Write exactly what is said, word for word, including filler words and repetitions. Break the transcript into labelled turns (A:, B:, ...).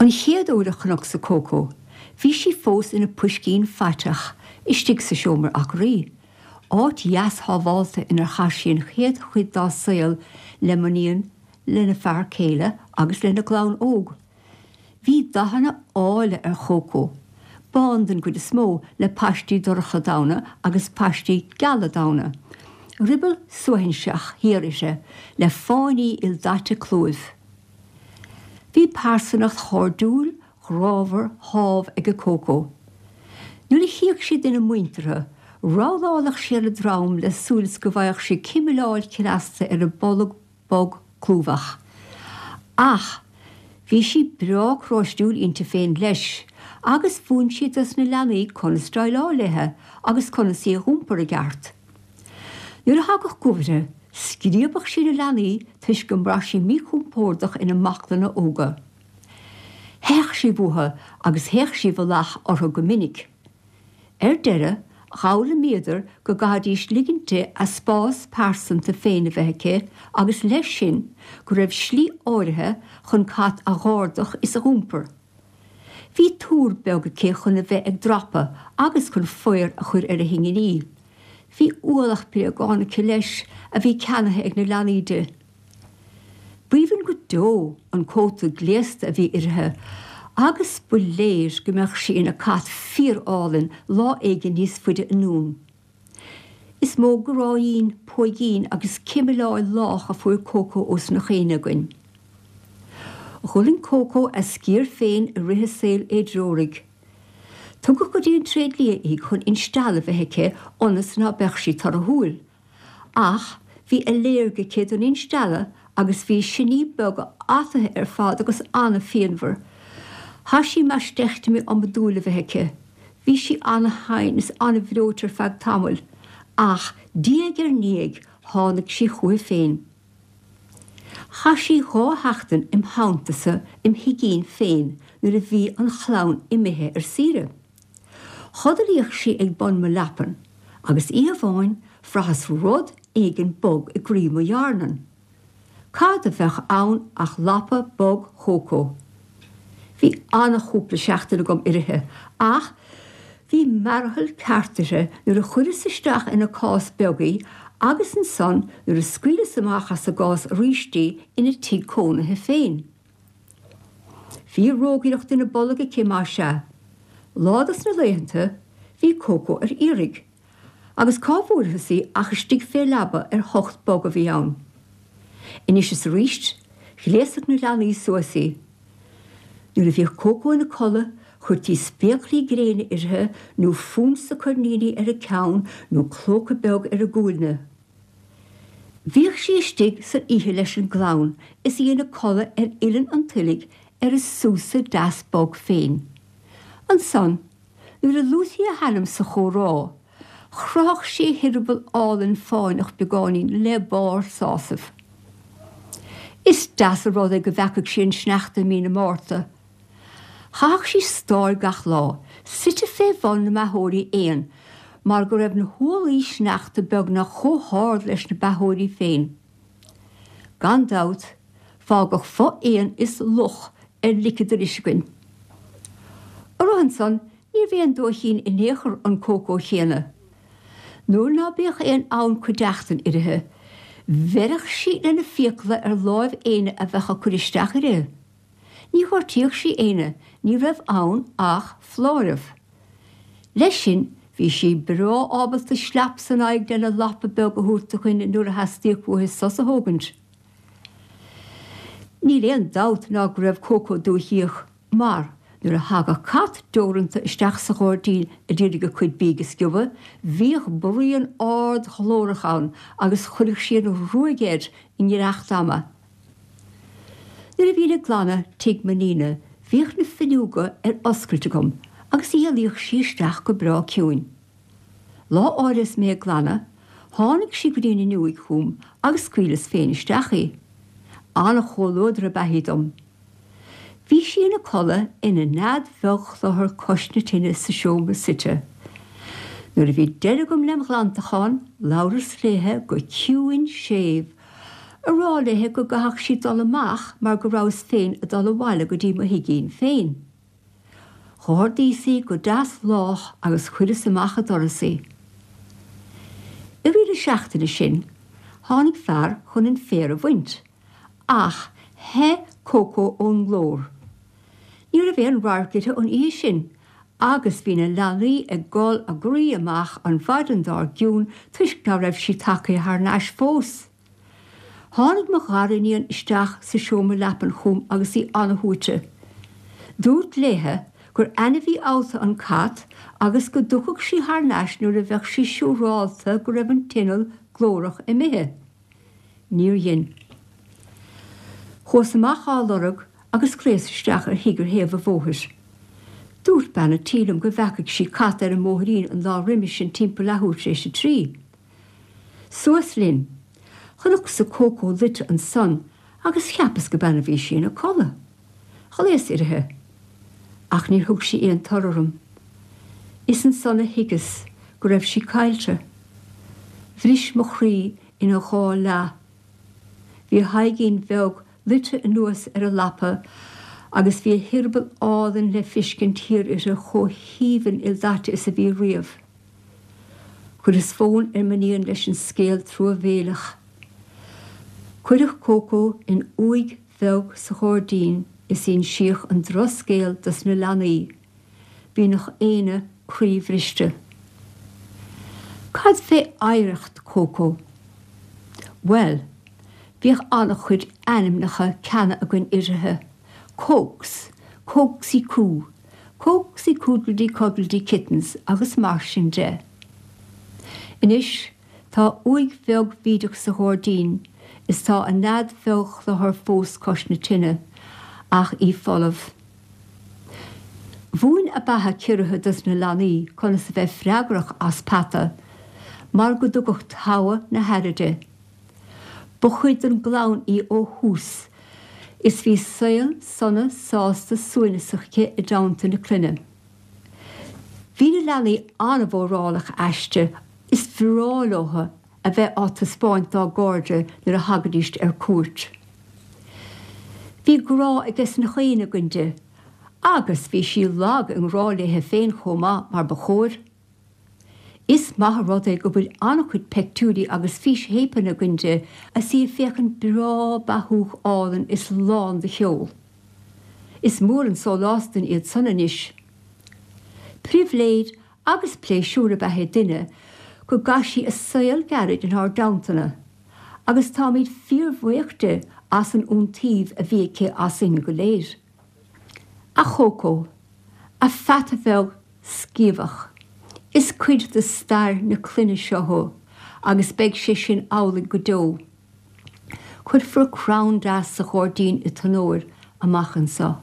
A: An chéad uair a chonacsa Coco, bhí sí fós ina puiscín faiteach istigh sa seomra acraí, áit dheas shábháilte inar chaith sí an chéad chuid dá saol le m'iníon lena fear céile agus lena gclann óg. Bhí dathanna áille ar Choco, bán den gcuid is mó le paistí dorcha donn agus paistí geala donn. Ruball suaithinseach thiar uirthi le fáinní ildaite clúimh. Bhí pearsanacht chairdiúil ghrámhar shámh ag Coco. Nuair a chíodh sí duine muinteartha, rolláladh sí ar a drom le súil go bhfaigheadh sí cimileáil chneasta ar a bolg bog clúmhach. Ach bhí sí breá cróistiúil inti féin leis, agus mhúin sí dos na leanaí conas déileáil léi agus conas í a iompar i gceart. Nuair a thagadh goimh uirthi, scríobadh sí na leanaí toisc go mbraith sí míchompordach ina mbaclainne óga. Théadh sí uathu agus théadh sí i bhfolach orthu go minic. Ar deireadh, d'fhoghlaimíodar go gcaithfidís ligint di a spás pearsanta féin a bheith aici agus leis sin go raibh slí áirithe chun cat a dh'ardach is a iompar. Bhí túr beag aici chun a bheith ag dreapadh agus chun faobhar a chur ar a hinginí. Bhí ualach bréagán aici leis a bhí ceannaithe ag na leanaí di. B'aoibhinn go deo an cóta gléasta a bhí uirthi, agus ba léir go mbeadh sí ina cat fíorálainn lá éigin níos faide anonn. Is mó gráin, póigín agus cimileáil lách a fuair Coco ós na chéine againn. D'fhulaing Coco a sciar féin i rith a saoil éidreoraigh. Tugadh go dtí an tréidlia í chun instealladh a bheith aici ionas ná beadh sí torthúil. Ach bhí ailléirge aici don instealladh agus bhí siní beaga ataithe ar fad agus an-phianmhar. Chaith sí maisteictimi iomadúil a bheith aici. Bhí sí an-tinn is an-bhreoite ar feadh tamaill, ach diaidh ar ndiaidh tháinig sí chuici féin. Chaith sí dhá sheachtain im theanntasa im thigín féin nuair a bhí an chlann imithe ar saoire. Chodlaíodh sí ag bun mo leapan, agus oíche amháin bhraitheas rud éigin bog i gcroí mo dhearnan. Cad a bheadh ann ach lapa bog Choco. Bhí an-chúpla seachtain agam uirthi, ach bhí mearathal ceart uirthi nuair a chuireas isteach ina cás beag í agus ansan nuair a scaoileas amach as an gcás arís í ina tigh cónaithe féin. Bhí rógaireacht ina bolg aici más ea. Lá dos na laethanta bhí Coco ar iarraidh, agus cá bhfuarthas í ach istigh fé leaba ar thocht bog a bhí ann. Anois is arís, ghléasadh na leanaí suas í. Nuair a bhíodh Coco ina codladh, chuirtí spéaclaí gréine uirthi nó fonsa coirníní ar a ceann nó clóca beag ar a guailne. Bhíodh sí istigh san oíche leis an gclann is í ina codladh ar uillinn an toilg ar a súsa deas bog féin. Ansan, nuair a luaití a hainm sa chomhrá, chroitheadh sí a heireaball álainn fáinneach beagáinín le barr sásaimh. Is deas an rud é go bhfeacaigh sí an sneachta i mí na Márta. Chaitheadh sí stáil gach lá, suite fé bhun na mbeathóirí éan, mar go raibh na hualaí sneachta beagnach chomh hard leis na beathóirí féin. Gan dabht, fágadh fo-éan is luch ar liceadar againn. Orthu ansan níorbh aon dóichín in aon chor an Coco chéanna. Nuair ná bíodh aon fhonn cuideachtan uirthi, bheireadh sí lena fiacla ar láimh éinne a bheadh ag cur isteach uirthi. Ní ghortaíodh sí éinne, ní raibh ann ach foláireamh. Leis sin bhí sí breá ábalta slap san aghaidh lena lapa beag a thabhairt do dhuine nuair a theastaíodh uaithi sos a thógaint. Níl aon dabht ná go raibh Coco dúichíoch mar nuair a thagadh cat deoranta isteach sa ghairdín a d'iarraidh a cuid bídh a sciobadh, bhíodh bruíon ard ghlórach ann agus chuireadh sí an ruaig air i ngiorracht ama. Nuair a bhínn ag glanadh tigh m'iníne, bhíodh na fuinneoga ar oscailt agam agus éalaíodh sí isteach go breá ciúin. Lá áirithe is mé ag glanadh, tháinig sí go dtí an fhuinneoig chugam agus scaoileas féin isteach í. An-chomhluadar ab ea í dom. Bhí sí ina codladh ina nead bheag chluthar cois na tine sa seomra suite. Nuair a bhí deireadh agam lem ghlantachán, labhras léithe go ciúin séimh, A rá léithe go gcaithfeadh sí dul amach mar go rabhas féin ag dul abhaile go dtí mo thigín féin. Dh'ardaíos í go deas lách agus chuireas amach an doras í. I rith na seachtaine sin, tháinig fear chun an féar a bhaint, ach theith Cócó ón nglór. Ní raibh aon radharc uirthi an oíche sin agus bhí na leanaí ag gol a gcroí amach an mhaidin dár gcionn toisc ná raibh sí tagtha thar n-ais fós. Tháinig mo ghariníon isteach sa seomra leapan chugam agus í an-shuaite. Dúrt léithe gur ainmhí allta an cat agus go dtiocfadh sí thar n-ais nuair a bheadh sí siúrálta go raibh an t-inneall glórach imithe. Níor dhein. Chuas amach á lorg agus ghlaos isteach ar thigh ar thaobh an bhóthair. Dúirt bean an tí liom go bhfeacaigh sí cat ar an mbóithrín an lá roimhe sin timpeall leathuair tar éis a trí. Suas linn. Chonacsa Cócó luite ansan agus cheapas go b'ann a bhí sí ina codladh. Ghlaos uirthi. Ach níor thug sí aon toradh orm. Is ansan a thuigeas go raibh sí caillte. Bhris mo chroí ina dhá leath. Bhí a haghaidhín bheag luite anuas ar an leaba agus bhí a heireaball álainn le fiscint thiar uirthi chomh haoibhinn ildaite is a bhí riamh. Chuireas fón ar m'iníon leis an scéal truamhéileach. Cuireadh Cócó in uaigh bheag sa ghairdín is insíodh an drochscéal dos na leanaí. Bhí nach éinne croíbhriste. Cad fé oidhreacht Cócó? Bhuel, bhíodh an-chuid ainmneacha ceana againn uirthi, Cócs, Cócsaí Cú, Cócsaí Cúdlaidí Codlaidí Kittens agus mar sin de. Anois tá uaigh bheag bhídeach sa ghairdín is tá a nead bheag chluthar fós cois na tine, ach í folamh. Mhúin a beatha ciorraithe dos na leanaí conas a bheith freagrach as peata, mar go dtugadh togha na haire di. Ba chuid den gclann í ó thús is bhí saol sona sásta suaimhneasach aici i dteannta na clainne. Bhí na leanaí an-mhórálach aisti is bhreá leo a bheith á taispeáint dá gcairde nuair a thagaidís ar cuairt. Bhí grá aige na chaoine againn di, agus bhí sí lag i ngrá léithe féin chomh maith mar ba chóir. Is maith an rud é go bhfuil an-chuid peictiúirí agus físthéipeanna againn di is í ag féachaint breá beathúch álainn is lán de cheol. Is mór an sólás dúinn iad san anois. Pribhléid agus pléisiúr ab ea é duine go gcaith sí a saol gairid inár dteannta, agus táimid fíorbhuíoch di as an iontaoibh a bhí aici asainn go léir. A Chócó, a pheata bheag sciamhach. Is cuid de stair na clainne seo thú agus beidh sé sin amhlaidh go deo. Cuirfear crann deas sa ghairdín i d'onóir amach anseo.